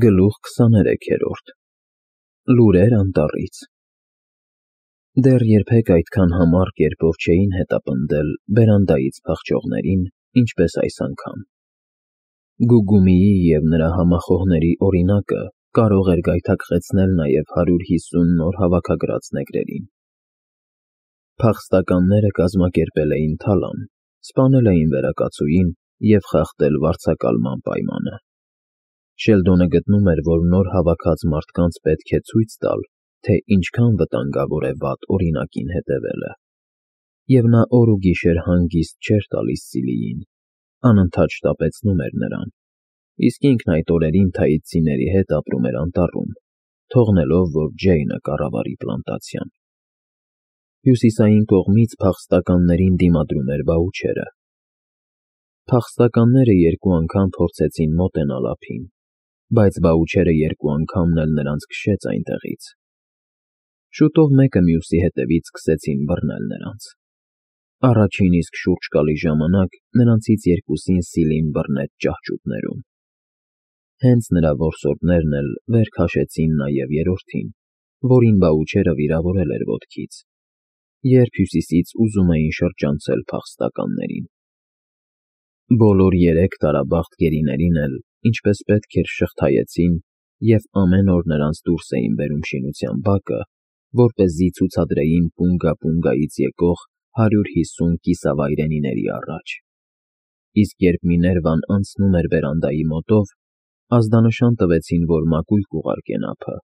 Գլուխ 23-րդ Լուրեր անտառից Դեռ երբեք այդքան համառ կերպով չէին հետապնդել բերանդայից փախչողներին, ինչպես այս անգամ։ Գուգումիի և նրա համախոհների օրինակը կարող էր գայթակղեցնել նաև 150 նոր հավաքագրած նեգրերին։ Փախստականները կազմակերպել էին թալան, սպանել էին վերակացուին և խախտել վարձակալման պայմանը։ Շելդոնը գտնում էր, որ նոր հավաքած մարդկանց պետք է ցույց տալ, թե ինչքան վտանգավոր է վատ օրինակին հետևելը, և նա օր ու գիշեր հանգիստ չէր տալիս Սիլիին, անընդհատ շտապեցնում էր նրան, իսկ ինքն այդ օրերին թաիսցիների հետ ապրում էր անտառում, թողնելով, որ Ջեյնը կառավարի պլանտացիան։ Հյուսիսային կողմից փախստականներին դիմադրում էր բաուչերը։ Փախստականները երկու անգամ փորձեցին մոտենալ ափին, բայց բաուչերը երկու անգամն էլ նրանց քշեց այնտեղից։ Շուտով մեկը մյուսի հետևից սկսեցին բռնել նրանց։ Առաջին իսկ շուրջկալի ժամանակ նրանցից երկուսին Սիլին բռնեց ճահճուտներում։ Հենց նրա որսորդներն էլ վեր քաշեցին նաև երրորդին, որին բաուչերը վիրավորել էր ոտքից, երբ հյուսիսից ուզում էին շրջանցել փախստականներին։ Բոլոր երեք տարաբախտ գերիներին էլ, ինչպես պետք էր, շղթայեցին և ամեն օր նրանց դուրս էին բերում շինության բակը, որպեսզի ցուցադրեին Պունգա֊Պունգայից եկող 150 կիսավայրենիների առաջ։ Իսկ երբ Միներվան անցնում էր բերանդայի մոտով, ազդանշան տվեցին, որ մակույկ ուղարկեն ափը,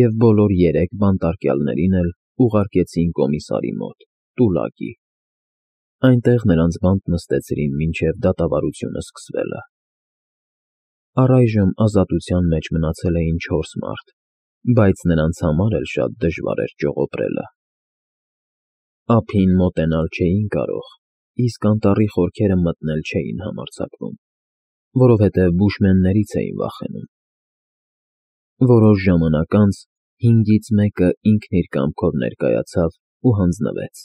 և բոլոր երեք բանտարկյալներին էլ ուղարկեցին կոմիսարի մոտ՝ տուլակի։ Այնտեղ նրանց բանտ նստեցրին մինչև դատավարությունը սկսվելը։ Առայժմ ազատության մեջ մնացել էին 4 մարդ, բայց նրանց համար էլ շատ դժվար էր ճողոպրելը։ Ափին մոտենալ չէին կարող, իսկ անտառի խորքերը մտնել չէին համարձակվում, որովհետև բուշմեններից էին վախենում։ Որոշ ժամանակ անց 5-ից մեկը ինքն իր կամքով ներկայացավ ու հանձնվեց։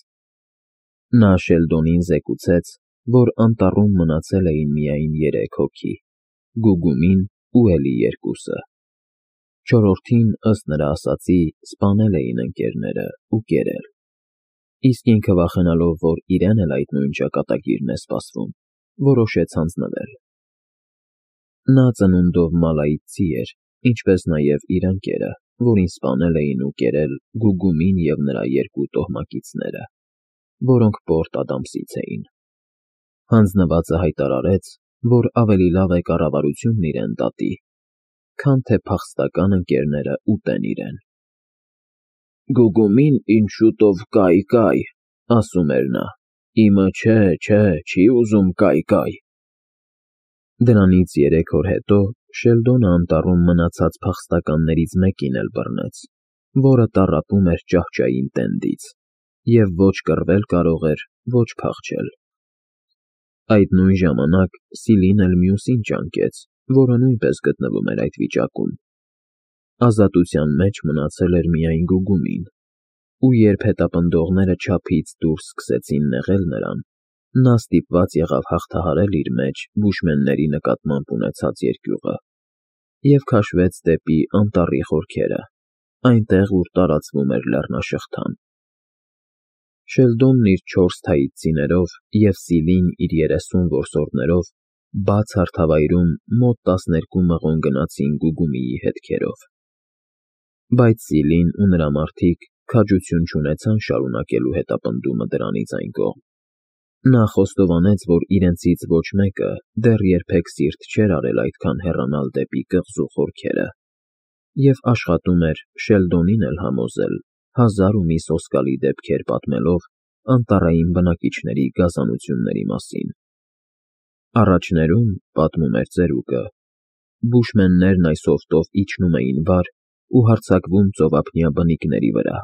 Նա Շելդոնին զեկուցեց, որ անտառում մնացել էին միայն 3 հոգի՝ Գուգումին ու էլի երկուսը։ Չորրորդին, ըստ նրա ասածի, սպանել էին ընկերները ու կերել, իսկ ինքը վախենալով, որ իրեն էլ այդ նույն ճակատագիրն է սպասվում, որոշեց հանձնվել։ Նա ծնունդով մալայիցցի էր, ինչպես նաև իր ընկերը, որին սպանել էին ու կերել Գուգումին և նրա 2 տոհմակիցները, որոնք Պորտ Ադամսից էին։ Հանձնվածը հայտարարեց, որ ավելի լավ է կառավարությունն իրեն դատի, քան թե փախստական ընկերները ուտեն իրեն։ «Գուգումին ինձ շուտով կայ, ասում էր նա, իմը չէ, չի ուզում կայ»։ Դրանից 3 օր հետո Շելդոնը անտառում մնացած փախստականներից մեկին էլ բռնեց, որը տառապում էր ճահճային տենդից և ոչ կռվել կարող էր, ոչ փախչել։ Այդ նույն ժամանակ Սիլին էլ մյուսին ճանկեց, որը նույնպես գտնվում էր այդ վիճակում։ Ազատության մեջ մնացել էր միայն Գուգումին, ու երբ հետապնդողները չափից դուրս սկսեցին նեղել նրան, նա ստիպված եղավ հաղթահարել իր մեջ բուշմենների նկատմամբ ունեցած երկյուղը և քաշվեց դեպի անտառի խորքերը, այնտեղ, ուր տարածվում էր լեռնաշղթան։ Շելդոնն իր 4 թաիսցիներով և Սիլին իր 30 որսորդներով բաց հարթավայրում մոտ 12 մղոն գնացին Գուգումիի հետքերով։ Բայց Սիլին ու նրա մարդիկ քաջություն չունեցան շարունակելու հետապնդումը դրանից այն կողմ։ Նա խոստովանեց, որ իրենցից ոչ մեկը դեռ երբեք սիրտ չէր արել այդքան հեռանալ դեպի կղզու խորքերը, և աշխատում էր Շելդոնին էլ համոզել 1000 ու մի սոսկալի դեպքեր պատմելով անտառային բնակիչների գազանությունների մասին։ Առաջներում, պատմում էր ծերուկը, բուշմեններն այս հովտով իջնում էին վար ու հարձակվում ծովափնյա բնիկների վրա։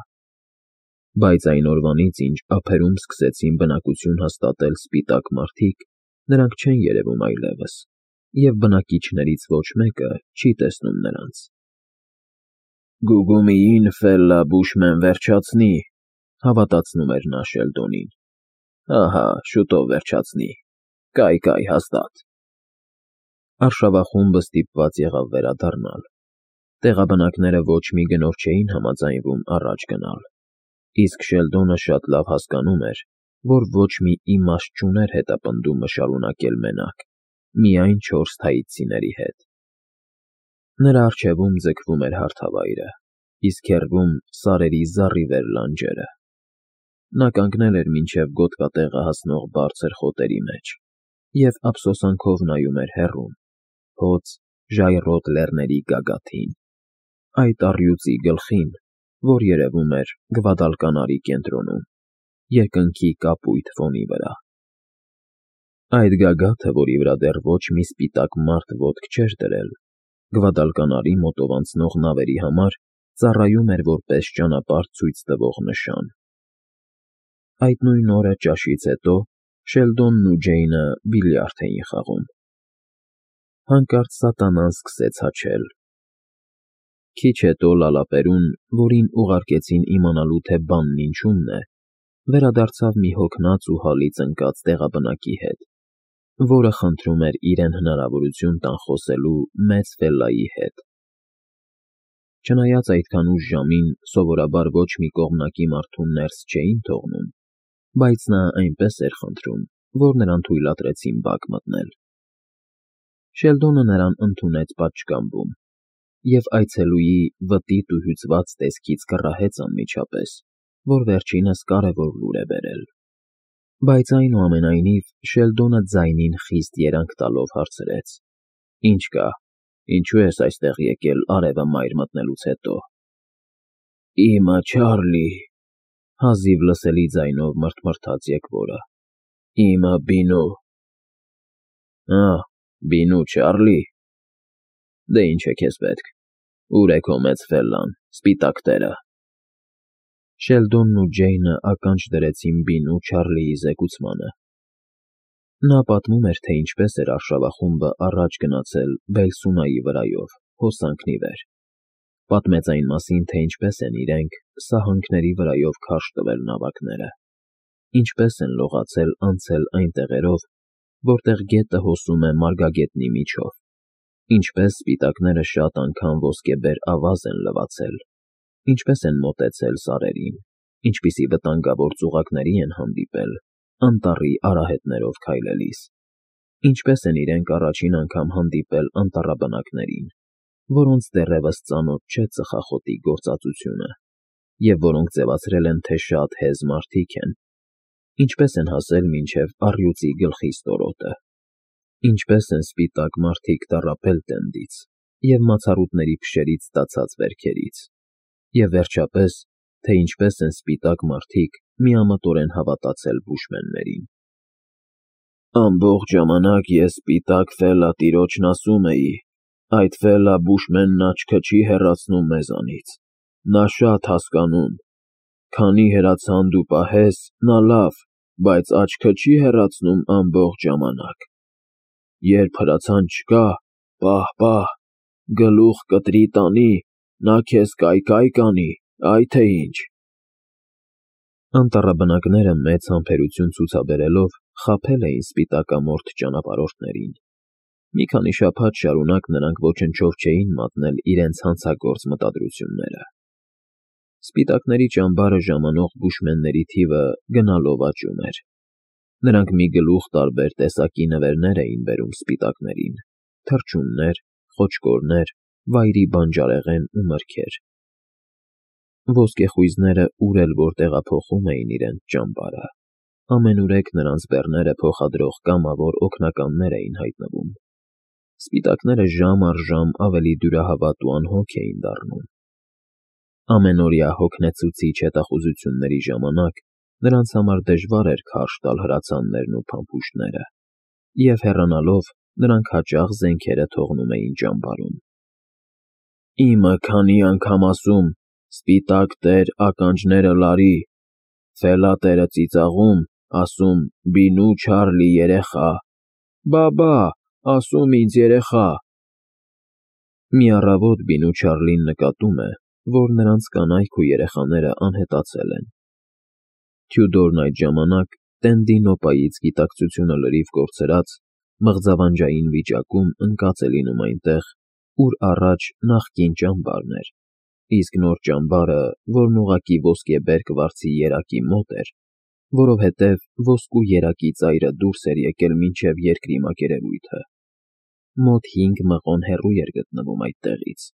Բայց այն օրվանից, ինչ ափերում սկսեցին բնակություն հաստատել սպիտակ մարդիկ, նրանք չեն երևում այլևս, և բնակիչներից ոչ մեկը չի տեսնում նրանց։ «Գուգումիին ֆելլա բուշմեն վերջացնի», հավատացնում էր նա Շելդոնին։ «Ահա, շուտով վերջացնի, կայ հաստատ»։ Արշավախումբը ստիպված եղավ վերադառնալ։ Տեղաբնակները ոչ մի գնով չէին համաձայնվում առաջ գնալ, իսկ Շելդոնը շատ լավ հասկանում էր, որ ոչ մի իմաստ չուներ հետապնդումը շարունակել մենակ, միայն 4 թայիցիների հետ։ Նրա առջևում ձգվում էր հարթավայրը, իսկ հեռվում սարերի զառիվեր լանջերը։ Նա կանգնել էր մինչև գոտկատեղը հասնող բարձր խոտերի մեջ և ափսոսանքով նայում էր հեռուն, հոծ, ժայռոտ լեռների գագաթին, այդ առյուծի գլխին, որ երևում էր Գվադալկանարի կենտրոնում, երկնքի կապույտ ֆոնի վրա։ Այդ գագաթը, որի վրա դեռ ոչ մի սպիտակ մարդ ոտք չէր դրել, Գվադալկանարի մոտով անցնող նավերի համար ծառայում էր որպես ճանապարհ ցույց տվող նշան։ Այդ նույն օրը ճաշից հետո Շելդոնն ու Ջեյնը բիլիարդ էին խաղում։ Հանկարծ սատանան սկսեց հաչել։ Քիչ հետո Լալապերուն, որին ուղարկեցին իմանալու, թե բանն ինչումն է, վերադարձավ մի հոգնած ու հալից ընկած տեղաբնակի հետ, որը խնդրում էր իրեն հնարավորություն տան խոսելու մեծ Ֆելլայի հետ։ Չնայած այդքան ուշ ժամին սովորաբար ոչ մի կողմնակի մարդու ներս չէին թողնում, բայց նա այնպես էր խնդրում, որ նրան թույլատրեցին բակ մտնել։ Շելդոնը նրան ընդունեց պատշգամբում, և այցելուի վտիտ ու հյուծված տեսքից կռահեց անմիջապես, որ վերջինս կարևոր լուր է բերել։ Բայց այնուամենայնիվ Շելդոնը ձայնին խիստ երանգ տալով հարցրեց. «Ինչ կա, ինչու ես այստեղ եկել արևը մայր մտնելուց հետո»։ «Իմը Չարլի», հազիվ լսելի ձայնով մռթմռթաց եկվորը, «իմը Բինու»։ Բինու Չարլի։ Դե ինչ է քեզ պետք, ուր է քո մեծ Ֆելլան, սպիտակ տերը։ Շելդոնն ու Ջեյնը ականջ դրեցին Բինու Չարլիի զեկուցմանը։ Նա պատմում էր, թե ինչպես էր արշավախումբը առաջ գնացել Բելսունայի վրայով, հոսանքն ի վեր։ Պատմեց այն մասին, թե ինչպես են իրենք սահանքների վրայով քարշ տվել նավակները, ինչպես են լողացել անցել այն տեղերով, որտեղ գետը հոսում է մարգագետնի միջով, ինչպես սպիտակները շատ անգամ ոսկեբեր ավազ են լվացել, ինչպես են մոտեցել սարերին, ինչպիսի վտանգավոր ծուղակների են հանդիպել անտառի արահետներով քայլելիս, ինչպես են իրենք առաջին անգամ հանդիպել անտառաբնակներին, որոնց դեռևս ծանոթ չէ ծխախոտի գործածությունը, և որոնք ձևացրել են, թե շատ հեզ մարդիկ են, ինչպես են հասել մինչև առյուծի գլխի ստորոտը, ինչպես են սպիտակ մարդիկ տառապել տենդից և մացառուտների փշերից ստացած վերքերից, և վերջապես, թե ինչպես են սպիտակ մարդիկ միամտորեն հավատացել բուշմեններին։ Ամբողջ ժամանակ ես սպիտակ Ֆելլա տիրոջն ասում էի. այդ Ֆելլա բուշմենն աչքը չի հեռացնում մեզանից, նա շատ հասկանում, քանի հրացան դու պահես, նա լավ, բայց աչքը չի հեռացնում ամբողջ ժամանակ։ Երբ հրացան չկա, պահ, գլուխ կտրի տանի, նա քեզ կայ կանի, այ թե ինչ։ Անտառաբնակները մեծ համբերություն ցուցաբերելով խաբել էին սպիտակամորթ ճանապարհորդներին։ Մի քանի շաբաթ շարունակ նրանք ոչնչով չէին մատնել իրենց հանցագործ մտադրությունները։ Սպիտակների ճամբարը ժամանող բուշմենների թիվը գնալով աճում էր։ Նրանք մի գլուխ տարբեր տեսակի նվերներ էին բերում սպիտակներին՝ թռչուններ, խոճկորներ, վայրի բանջարեղեն ու մրգեր։ Ոսկեխույզները ուր էլ որ տեղափոխում էին իրենց ճամբարը, ամենուրեք նրանց բեռները փոխադրող կամավոր օգնականներ էին հայտնվում։ Սպիտակները ժամ առ ժամ ավելի դյուրահավատ ու անհոգ էին դառնում։ Ամենօրյա հոգնեցուցիչ հետախուզությունների ժամանակ նրանց համար դժվար էր քարշ տալ հրացաններն ու փամփուշտները, և հեռանալով նրանք հաճախ զենքերը թողնում էին ճամբարում։ Իմը քանի անգամ ասում, սպիտակ տեր ականջները լարի, Ֆելլա տերը ծիծաղում, ասում Բինու Չարլի երեխա, բա, ասում ինձ երեխա։ Մի առավոտ Բինու Չարլին նկատում է, որ նրանց կանայք ու երեխաները անհետացել են։ Թյուդորն այդ ժամանակ, տենդի նոպայից գիտակցությունը լրիվ կորցրած, մղձավանջային վիճակում ընկած է լինում այնտեղ, ուր առաջ նախկին ճամբարն էր, իսկ նոր ճամբարը, որն ուղղակի ոսկեբերք վարձի երակի մոտ էր, որովհետև ոսկու երակի ծայրը դուրս էր եկել մինչև երկրի մակերևույթը, մոտ 5 մղոն հեռու էր գտնվում այդտեղից։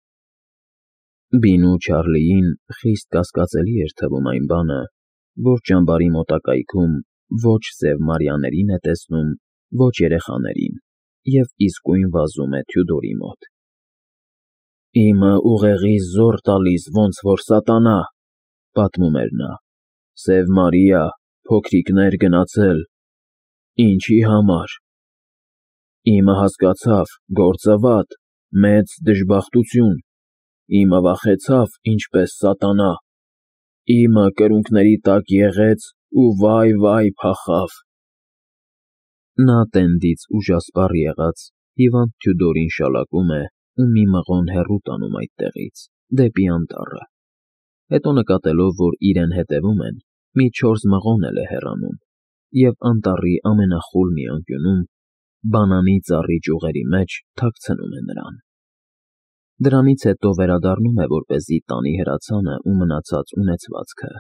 Բինու Չարլիին խիստ կասկածելի էր թվում այն բանը, որ ճամբարի մոտակայքում ոչ Սև Մարիաներին է տեսնում, ոչ երեխաներին, և իսկույն վազում է Թյուդորի մոտ։ «Իմը ուղեղիս զոռ տալիս, ոնց որ սատանա», պատմում էր նա, «Սև Մարիա, փոքրիկներ գնացել, ինչի համար։ Իմը հասկացավ, գործը վատ, մեծ դժբախտություն, իմը վախեցավ, ինչպես սատանա, իմը կրունկների տակ եղեց ու վայ փախավ»։ Նա տենդից ուժասպառ եղած հիվանդ Թյուդորին շալակում է ու մի մղոն հեռու տանում այդտեղից, դեպի անտառը, հետո նկատելով, որ իրեն հետևում են, մի 4 մղոն էլ է հեռանում և անտառի ամենախուլ մի անկյունում, բանանի ծառի ճյուղերի մեջ թաքցնում է նրան։ Դրանից հետո վերադառնում է, որպեսզի տանի հրացանը ու մնացած ունեցվածքը,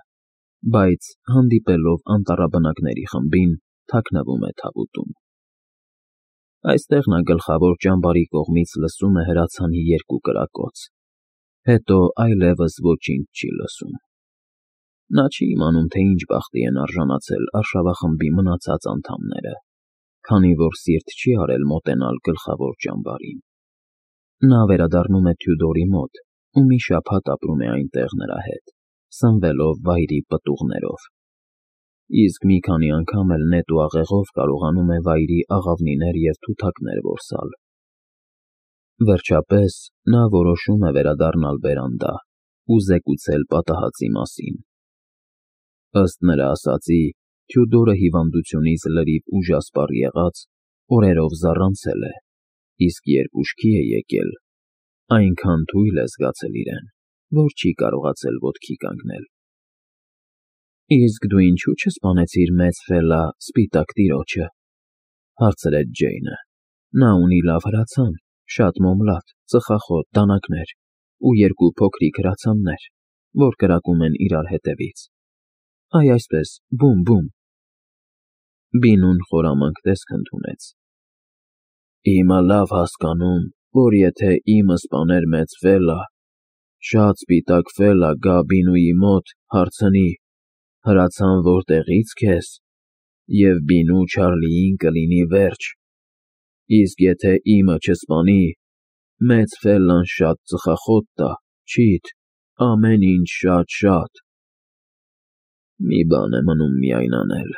բայց հանդիպելով անտառաբնակների խմբին, թաքնվում է թավուտում։ Այստեղ նա գլխավոր ճամբարի կողմից լսում է հրացանի 2 կրակոց, հետո այլևս ոչինչ չի լսում։ Նա չի իմանում, թե ինչ բախտի են արժանացել արշավախմբի մնացած անդամները, քանի որ սիրտ չի արել մոտենալ գլխավոր ճամբարին։ Նա վերադառնում է Թյուդորի մոտ ու մի շաբաթ ապրում է այնտեղ նրա հետ, սնվելով վայրի պտուղներով, իսկ մի քանի անգամ էլ նետ ու աղեղով կարողանում է վայրի աղավնիներ և թութակներ որսալ։ Վերջապես նա որոշում է վերադառնալ բերանդա ու զեկուցել պատահածի մասին։ Ըստ նրա ասածի, Թյուդորը հիվանդությունից լրիվ ուժասպառ եղած, օրերով զառանցել է, իսկ երբ ուշքի է եկել, այնքան թույլ է զգացել իրեն, որ չի կարողացել ոտքի կանգնել։ «Իսկ դու ինչու չսպանեցիր մեծ Ֆելա, սպիտակ տիրոջը», հարցրեց Ջեյնը։ «Նա ունի լավ հրացան, շատ մոմլատ, ծխախոտ, դանակներ ու 2 փոքրիկ հրացաններ, որ կրակում են իրար հետևից։ Այ այսպես, բում»։ Բինուն խորամանկ տեսք ընդունեց։ «Իմը լավ հասկանում, որ եթե իմը սպաներ մեծ Ֆելա, շատ սպիտակ Ֆելա գա Բինուի մոտ, հարցնի. «Հրացան որտեղի՞ց քեզ», և Բինու Չարլիին կլինի վերջ, իսկ եթե իմը չսպանի, մեծ Ֆելլան շատ ծխախոտ տա, չիթ, ամեն ինչ շատ»։ «Մի բան է մնում միայն անել»,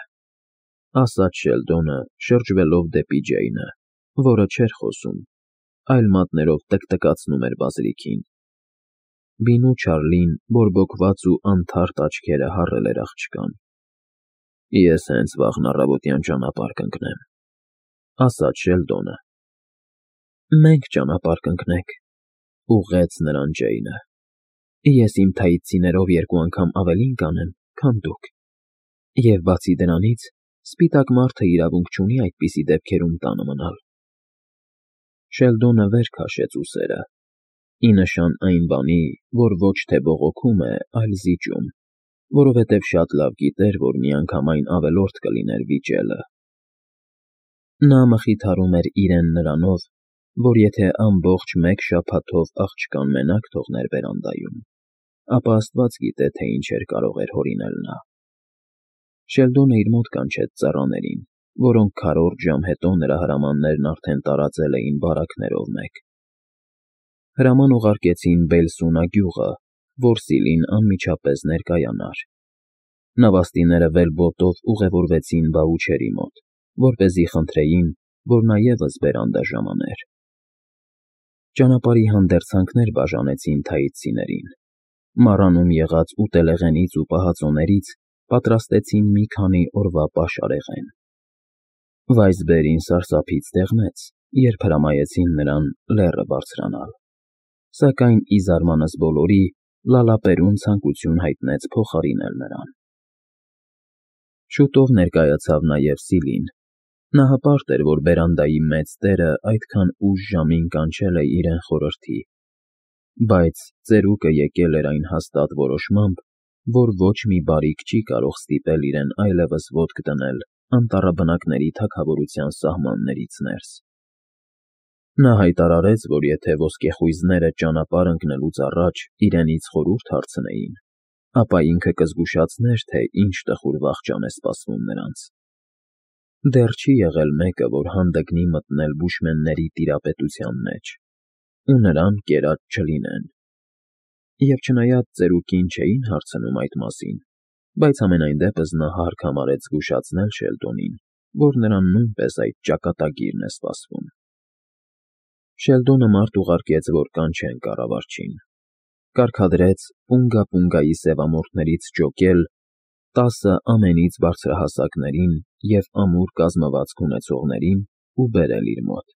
ասաց Շելդոնը, շրջվելով դեպի Ջեյնը, որը չէր խոսում, այլ մատներով տկտկացնում էր բազրիքին։ Բինու Չարլին բորբոքված ու անթարթ աչքերը հառել էր աղջկան։ «Ես հենց վաղն առավոտյան ճանապարհ կընկնեմ», ասաց Շելդոնը։ «Մենք ճանապարհ կընկնենք», ուղղեց նրան Ջեյնը։ «Ես իմ թայծիներով 2 անգամ ավելին կանեմ, քան դուք, և բացի դրանից, սպիտակ մարդը իրավունք չունի այդպիսի դեպքերում տանը մնալ»։ Շելդոնը վեր քաշեց ուսերը, ի նշան այն բանի, որ ոչ թե բողոքում է, այլ զիջում, որովհետև շատ լավ գիտեր, որ միանգամայն ավելորդ կլիներ վիճելը։ Նա մխիթարում էր իրեն նրանով, որ եթե ամբողջ 1 շաբաթով աղջկան մենակ թողներ բերանդայում, ապա Աստված գիտե, թե ինչեր կարող էր հորինել նա։ Շելդոնը իր մոտ կանչեց ծառաներին, որոնք քառորդ ժամ հետո նրա հրամաններն արդեն տարածել էին բարակներով մեկ։ Հրաման ուղարկեցին Բելսունա գյուղը, որ Սիլին անմիջապես ներկայանար։ Նավաստիները վելբոտով ուղևորվեցին բաուչերի մոտ, որպեսզի խնդրեին, որ նա ևս բերանդա ժամաներ։ Ճանապարհի հանդերձանքներ բաժանեցին թայծիներին։ Մառանում եղած ուտելեղենից ու պահածոներից պատրաստեցին մի քանի օրվա պաշարեղեն։ Վայզբերին սարսափից դեղնեց, երբ հրամայեցին նրան լեռը բարձրանալ, սակայն ի զարմանս բոլորի Լալապերուն ցանկություն հայտնեց փոխարինել նրան։ Շուտով ներկայացավ նաև Սիլին։ Նա հպարտ էր, որ բերանդայի մեծ տերը այդքան ուշ ժամին կանչել է իրեն խորհրդի, բայց ծերուկը եկել էր այն հաստատ որոշմամբ, որ ոչ մի բարիք չի կարող ստիպել իրեն այլևս ոտք դնել անտառաբնակների թագավորության սահմաններից ներս։ Նա հայտարարեց, որ եթե ոսկեխույզները ճանապարհ ընկնելուց առաջ իրենից խորհուրդ հարցնեին, ապա ինքը կզգուշացներ, թե ինչ տխուր վախճան է սպասվում նրանց։ Դեռ չի եղել մեկը, որ հանդգնի մտնել բուշմենների տիրապետության մեջ, ու նրան կերած չլինեն։ Եվ չնայած ծերուկին չէին հարցնում այդ մասին, բայց համենայն դեպս նա հարկ համարեց զգուշացնել Շելդոնին, որ նրան նույնպես այդ ճակատագիրն է սպասվում։ Շելդոնը մարդ ուղարկեց, որ կանչեն կառավարչին։ Կարգադրեց Պունգա-Պունգայի սևամորթներից ջոկել 10 ամենից բարձրահասակներին և ամուր կազմվածք ունեցողներին ու բերել իր մոտ։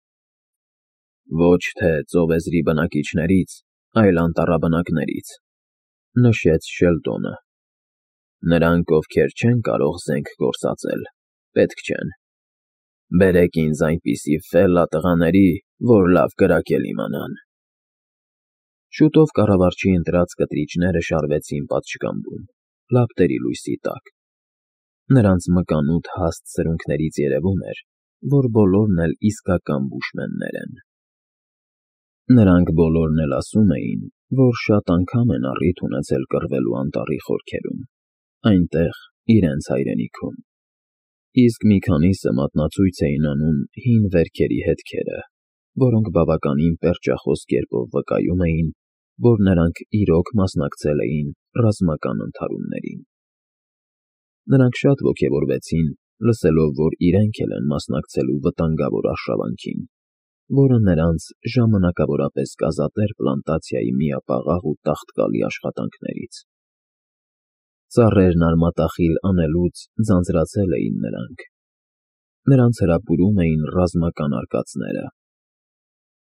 Ոչ թե ծովեզրի բնակիչներից, այլ անտառաբնակներից, նշեց Շելդոնը։ Նրանք, ովքեր չեն կարող զենք գործածել, պետք չեն։ Բերեք ինձ այնպիսի ֆելլա տղաների, որ լավ կրակել իմանան։ Շուտով կառավարչի ընտրած կտրիչները շարվեցին պատշգամբում, լապտերի լույսի տակ։ Նրանց մկանութ հաստ սրունքներից երևում էր, որ բոլորն էլ իսկական բուշմեններ են։ Նրանք բոլորն էլ ասում էին, որ շատ անգամ են առիթ ունեցել կռվելու անտառի խորքերում, այնտեղ, իրենց հայրենիքում, իսկ մի քանիսը մատնացույց էին անում հին վերքերի հետքերը, որոնք բավականին պերճախոս կերպով վկայում էին, որ նրանք իրոք մասնակցել էին ռազմական ընդհարումներին։ Նրանք շատ ոգևորվեցին, լսելով, որ իրենք էլ են մասնակցելու վտանգավոր արշավանքին, որը նրանց ժամանակավորապես կազատեր պլանտացիայի միապաղաղ ու տաղտկալի աշխատանքներից։ Ծառերն արմատախիլ անելուց ձանձրացել էին նրանք։ Նրանց հրապուրում էին ռազմական արկածները։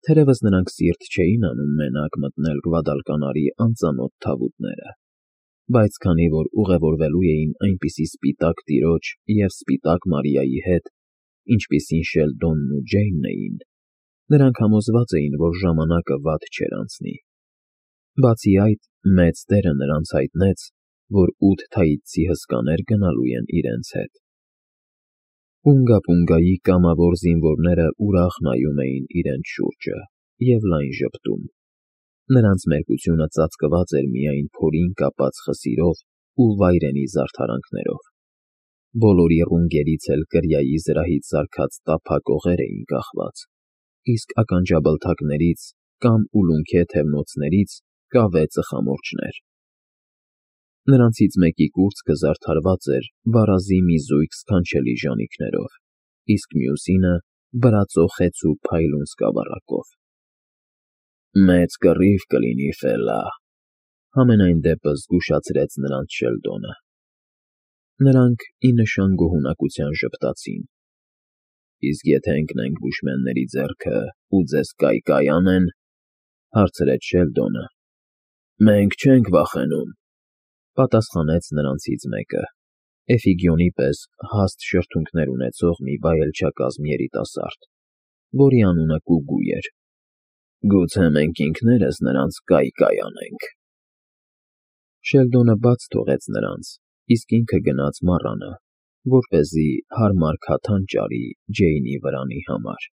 Թերևս նրանք սիրտ չէին անում մենակ մտնել Գվադալկանարի անծանոթ թավուտները, բայց քանի որ ուղևորվելու էին այնպիսի սպիտակ տիրոջ և սպիտակ Մարիայի հետ, ինչպիսին Շելդոնն ու Ջեյնն էին, նրանք համոզված էին, որ ժամանակը վատ չէր անցնի։ Բացի այդ, մեծ տերը նրանց հայտնեց, որ 8 թաիցցի հսկաներ գնալու են իրենց հետ։ Պունգա-Պունգայի կամավոր զինվորները ուրախ նայում էին իրենց շուրջը և լայն ժպտում։ Նրանց մերկությունը ծածկված էր միայն փորին կապած խսիրով ու վայրենի զարդարանքներով։ Բոլորի ռունգերից էլ կրիայի զրահից սարքած տափակ օղեր էին կախված, իսկ ականջաբլթակներից կամ ուլունքե թևնոցներից կավե ծխամորճներ։ Նրանցից մեկի կուրծքը զարդարված էր վարազի մի զույգ սքանչելի ժանիքներով, իսկ մյուսինը բրածո խեցու փայլուն սկավառակով։ Մեծ կռիվ կլինի, Ֆելլա, համենայն դեպս զգուշացրեց նրանց Շելդոնը։ Նրանք ի նշան գոհունակության ժպտացին։ Իսկ եթե ընկնենք բուշմենների ձեռքը ու ձեզ կայ անեն, հարցրեց Շելդոնը։ Մենք չենք վախենում, պատասխանեց նրանցից մեկը, Էֆիգիոնի պես հաստ շրթունքներ ունեցող մի վայելչակազմ երիտասարդ, որի անունը Կուգու էր։ Գուցե մենք ինքներս նրանց կայ անենք։ Շելդոնը բաց թողեց նրանց, իսկ ինքը գնաց մառանը, որպեսզի հարմար քաթան ճարի Ջեյնի վրանի համար։